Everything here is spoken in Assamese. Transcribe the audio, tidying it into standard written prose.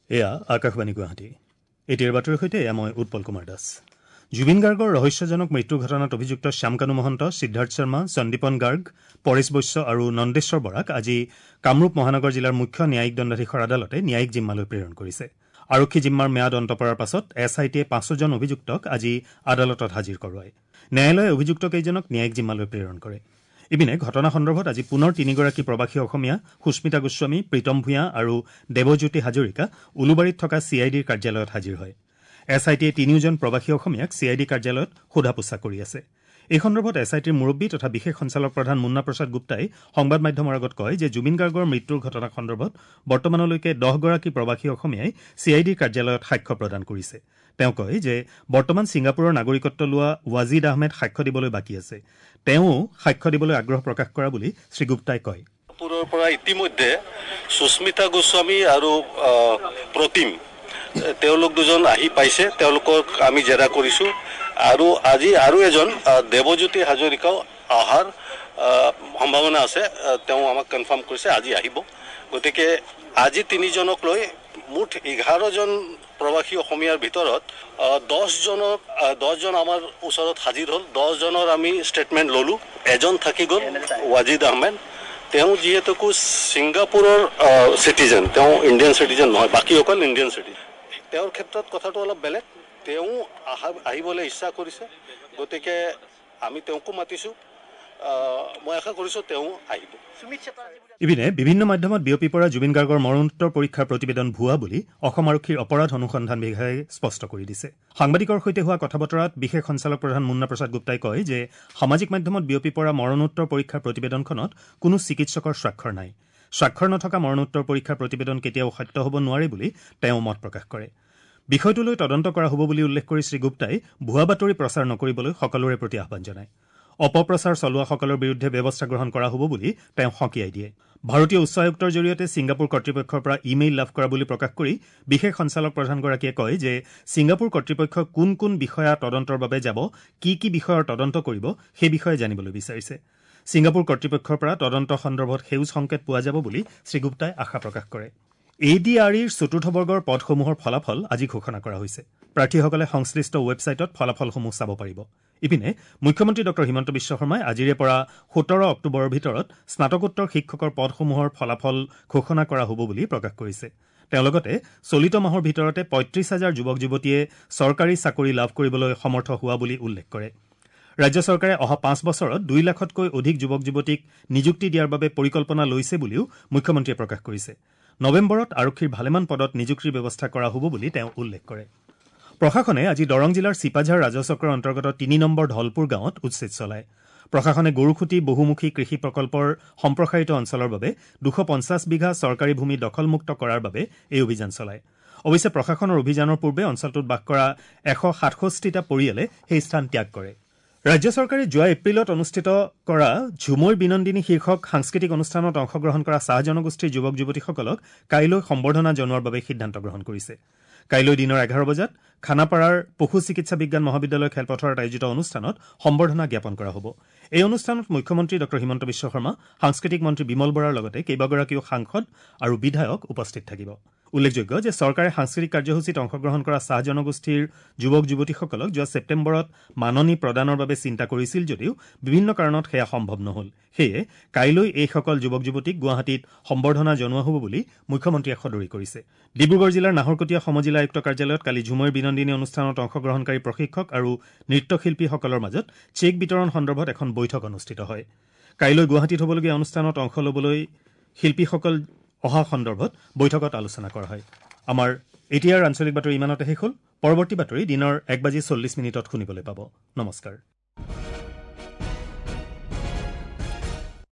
এয়া আকাশবাণী গুৱাহাটী। এতিয়াৰ বাতৰিৰ সৈতে এয়া মই উৎপল কুমাৰ দাস। জুবিন গাৰ্গৰ ৰহস্যজনক মৃত্যুৰ ঘটনাত অভিযুক্ত শ্যামকানু মহন্ত, সিদ্ধাৰ্থ শৰ্মা, সন্দীপন গাৰ্গ, পৰেশ বৈশ্য আৰু নন্দেশ্বৰ বৰাক আজি কামৰূপ মহানগৰ জিলাৰ মুখ্য ন্যায়িক দণ্ডাধীশৰ আদালতে ন্যায়িক জিম্মালৈ প্ৰেৰণ কৰিছে। আৰক্ষী জিম্মাৰ ম্যাদ অন্ত পৰাৰ পাছত এছ I টিয়ে পাঁচোজন অভিযুক্তক আজি আদালতত হাজিৰ কৰোৱায়। ন্যায়ালয়ে অভিযুক্তকেইজনক ন্যায়িক জিম্মালৈ প্ৰেৰণ কৰে। ইপিনে ঘটনা সন্দৰ্ভত আজি পুনৰ তিনিগৰাকী প্ৰৱাসী অসমীয়া সুস্মিতা গোস্বামী, প্ৰীতম ভূঞা আৰু দেৱজ্যোতি হাজৰিকা উলুবাৰীত থকা চি I ডিৰ কাৰ্যালয়ত হাজিৰ হয়। এছ I টিয়ে তিনিওজন প্ৰৱাসী অসমীয়াক চি I D কাৰ্যালয়ত সোধা পোছা কৰি আছে। এই সন্দৰ্ভত এছ I টিৰ মুৰব্বী তথা বিশেষ সঞ্চালক প্ৰধান মুন্না প্ৰসাদ গুপ্তাই সংবাদ মাধ্যমৰ আগত কয় যে জুবিন গাৰ্গৰ মৃত্যুৰ ঘটনা সন্দৰ্ভত বৰ্তমানলৈকে 10গৰাকী প্ৰৱাসী অসমীয়াই চি I ডিৰ কাৰ্যালয়ত সাক্ষ্য প্ৰদান কৰিছে। তেওঁ কয় যে বৰ্তমান ছিংগাপুৰৰ নাগৰিকত্ব লোৱা ৱাজিদ আহমেদ সাক্ষ্য দিবলৈ বাকী আছে। তেওঁও সাক্ষ্য দিবলৈ আগ্ৰহ প্ৰকাশ কৰা বুলি শ্ৰীগুপ্তাই কয়। ছিংগাপুৰৰ পৰা ইতিমধ্যে সুস্মিতা গোস্বামী আৰু প্ৰতিম তেওঁলোক দুজন আহি পাইছে, তেওঁলোকক আমি জেৰা কৰিছোঁ। আৰু আজি আৰু এজন দেৱজ্যোতি হাজৰিকাও অহাৰ সম্ভাৱনা আছে, তেওঁ আমাক কনফাৰ্ম কৰিছে আজি আহিব। গতিকে আজি তিনিজনক লৈ মুঠ 11জন প্ৰৱাসী অসমীয়াৰ ভিতৰত 10জন আমাৰ ওচৰত হাজিৰ হ'ল। 10জনৰ আমি ষ্টেটমেণ্ট ল'লোঁ, এজন থাকি গ'ল ৱাজিদ আহমেদ। তেওঁ যিহেতুকো ছিংগাপুৰৰ চিটিজেন, তেওঁ ইণ্ডিয়ান চিটিজেন নহয়, বাকীসকল ইণ্ডিয়ান চিটিজেন। তেওঁৰ ক্ষেত্ৰত কথাটো অলপ বেলেগ, তেওঁ আহিবলৈ ইচ্ছা কৰিছে, গতিকে আমি তেওঁকো মাতিছোঁ। মই আশা কৰিছোঁ তেওঁ আহিব। ইপিনে বিভিন্ন মাধ্যমত বিয়পি পৰা জুবিন গাৰ্গৰ মৰণোত্তৰ পৰীক্ষাৰ প্ৰতিবেদন ভুৱা বুলি অসম আৰক্ষীৰ অপৰাধ অনুসন্ধান বিভাগে স্পষ্ট কৰি দিছে। সাংবাদিকৰ সৈতে হোৱা কথা বতৰাত বিশেষ সঞ্চালক প্ৰধান মুন্না প্ৰসাদ গুপ্তাই কয় যে সামাজিক মাধ্যমত বিয়পি পৰা মৰণোত্তৰ পৰীক্ষাৰ প্ৰতিবেদনখনত কোনো চিকিৎসকৰ স্বাক্ষৰ নাই। স্বাক্ষৰ নথকা মৰণোত্তৰ পৰীক্ষাৰ প্ৰতিবেদন কেতিয়াও সত্য হ'ব নোৱাৰে বুলি তেওঁ মত প্ৰকাশ কৰে। বিষয়টোলৈ তদন্ত কৰা হ'ব বুলি উল্লেখ কৰি শ্ৰীগুপ্তাই ভুৱা বাতৰি প্ৰচাৰ নকৰিবলৈ সকলোৰে প্ৰতি আহ্বান জনায়। অপপ্ৰচাৰ চলোৱাসকলৰ বিৰুদ্ধে ব্যৱস্থা গ্ৰহণ কৰা হ'ব বুলি তেওঁ সকীয়াই দিয়ে। ভাৰতীয় উচ্চ আয়ুক্তৰ জৰিয়তে ছিংগাপুৰ কৰ্তৃপক্ষৰ পৰা ইমেইল লাভ কৰা বুলি প্ৰকাশ কৰি বিশেষ সঞ্চালক প্ৰধানগৰাকীয়ে কয় যে ছিংগাপুৰ কৰ্তৃপক্ষ কোন কোন বিষয়া তদন্তৰ বাবে যাব, কি কি বিষয়ৰ তদন্ত কৰিব সেই বিষয়ে জানিবলৈ বিচাৰিছে। ছিংগাপুৰ কৰ্তৃপক্ষৰ পৰা তদন্ত সন্দৰ্ভত সেউজ সংকেত পোৱা যাব বুলি শ্ৰীগুপ্তাই আশা প্ৰকাশ কৰে। এ ডি আৰ ইৰ চতুৰ্থ বৰ্গৰ পদসমূহৰ ফলাফল আজি ঘোষণা কৰা হৈছে। প্ৰাৰ্থীসকলে সংশ্লিষ্ট ৱেবছাইটত ফলাফলসমূহ চাব পাৰিব। ইপিনে মুখ্যমন্ত্ৰী ডঃ হিমন্ত বিশ্ব শৰ্মাই আজিৰে পৰা 17 অক্টোবৰৰ ভিতৰত স্নাতকোত্তৰ শিক্ষকৰ পদসমূহৰ ফলাফল ঘোষণা কৰা হ'ব বুলি প্ৰকাশ কৰিছে। তেওঁ লগতে চলিত মাহৰ ভিতৰতে 35 হাজাৰ যুৱক যুৱতীয়ে চৰকাৰী চাকৰি লাভ কৰিবলৈ সমৰ্থ হোৱা বুলি উল্লেখ কৰে। ৰাজ্য চৰকাৰে অহা 5 বছৰত 2 লাখতকৈ অধিক যুৱক যুৱতীক নিযুক্তি দিয়াৰ বাবে পৰিকল্পনা লৈছে বুলিও মুখ্যমন্ত্ৰীয়ে প্ৰকাশ কৰিছে। নৱেম্বৰত আৰক্ষীৰ ভালেমান পদত নিযুক্তিৰ ব্যৱস্থা কৰা হ'ব বুলি তেওঁ উল্লেখ কৰে। প্ৰশাসনে আজি দৰং জিলাৰ চিপাঝাৰ ৰাজহচক্ৰৰ অন্তৰ্গত 3 নম্বৰ ধলপুৰ গাঁৱত উচ্ছেদ চলায়। প্ৰশাসনে গৰুখুঁটি বহুমুখী কৃষি প্ৰকল্পৰ সম্প্ৰসাৰিত অঞ্চলৰ বাবে 250 বিঘা চৰকাৰী ভূমি দখলমুক্ত কৰাৰ বাবে এই অভিযান চলায়। অৱশ্যে প্ৰশাসনৰ অভিযানৰ পূৰ্বে অঞ্চলটোত বাস কৰা 167টা পৰিয়ালে সেই স্থান ত্যাগ কৰে। ৰাজ্য চৰকাৰে যোৱা এপ্ৰিলত অনুষ্ঠিত কৰা ঝুমইৰ বিনন্দিনী শীৰ্ষক সাংস্কৃতিক অনুষ্ঠানত অংশগ্ৰহণ কৰা চাহ জনগোষ্ঠীৰ যুৱক যুৱতীসকলক কাইলৈ সম্বৰ্ধনা জনোৱাৰ বাবে সিদ্ধান্ত গ্ৰহণ কৰিছে। কাইলৈ দিনৰ 11 বজাত খানাপাৰাৰ পশু চিকিৎসা বিজ্ঞান মহাবিদ্যালয় খেলপথাৰত আয়োজিত অনুষ্ঠানত সম্বৰ্ধনা জ্ঞাপন কৰা হ'ব। এই অনুষ্ঠানত মুখ্যমন্ত্ৰী ডঃ হিমন্ত বিশ্ব শৰ্মা, সাংস্কৃতিক মন্ত্ৰী বিমল বৰাৰ লগতে কেইবাগৰাকীও সাংসদ আৰু বিধায়ক উপস্থিত থাকিব। উল্লেখযোগ্য যে চৰকাৰে সাংস্কৃতিক কাৰ্যসূচীত অংশগ্ৰহণ কৰা চাহ জনগোষ্ঠীৰ যুৱক যুৱতীসকলক যোৱা ছেপ্টেম্বৰত মাননি প্ৰদানৰ বাবে চিন্তা কৰিছিল যদিও বিভিন্ন কাৰণত সেয়া সম্ভৱ নহ'ল। সেয়ে কাইলৈ এইসকল যুৱক যুৱতীক গুৱাহাটীত সম্বৰ্ধনা জনোৱা হ'ব বুলি মুখ্যমন্ত্ৰীয়ে সদৰি কৰিছে। ডিব্ৰুগড় জিলাৰ নাহৰকটীয়া সমজিলা আয়ুক্ত কাৰ্যালয়ত কালি ঝুমইৰ বিনন্দিনী অনুষ্ঠানত অংশগ্ৰহণকাৰী প্ৰশিক্ষক আৰু নৃত্যশিল্পীসকলৰ মাজত চেক বিতৰণ সন্দৰ্ভত এখন বৈঠক অনুষ্ঠিত হয়। কাইলৈ গুৱাহাটীত হ'বলগীয়া অনুষ্ঠানত অংশ ল'বলৈ শিল্পীসকল অহা সন্দৰ্ভত বৈঠকত আলোচনা কৰা হয়। আমাৰ এতিয়াৰ আঞ্চলিক বাতৰি ইমানতে শেষ হ'ল। পৰৱৰ্তী বাতৰি দিনৰ 1:40 শুনিবলৈ পাব। নমস্কাৰ।